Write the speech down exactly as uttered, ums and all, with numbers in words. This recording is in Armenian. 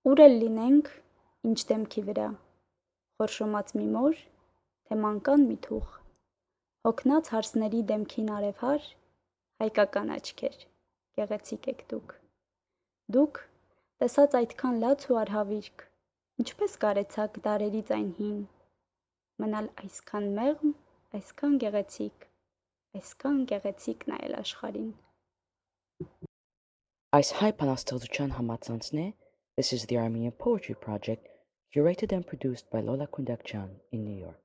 Ուր էլ լինենք, ինչ դեմքի վրա, խորշոմած մի մոր, թե մանկան մի թուղ, հոգնած հարսների դեմքին արևհար, հայկական աչքեր, գեղեցիկ եք դուք։ Դուք, տեսած այդքան լաց ու արհավիրք, ինչպես կարեցաք դարերից այն հին, մնալ այսքան մեղմ, այսքան գեղեցիկ, այսքան գեղեցիկ նայել աշխարհին։ Այս հայ բանաստեղծության համացանցն է This is the Armenian Poetry Project, curated and produced by Lola Kundakjian in New York.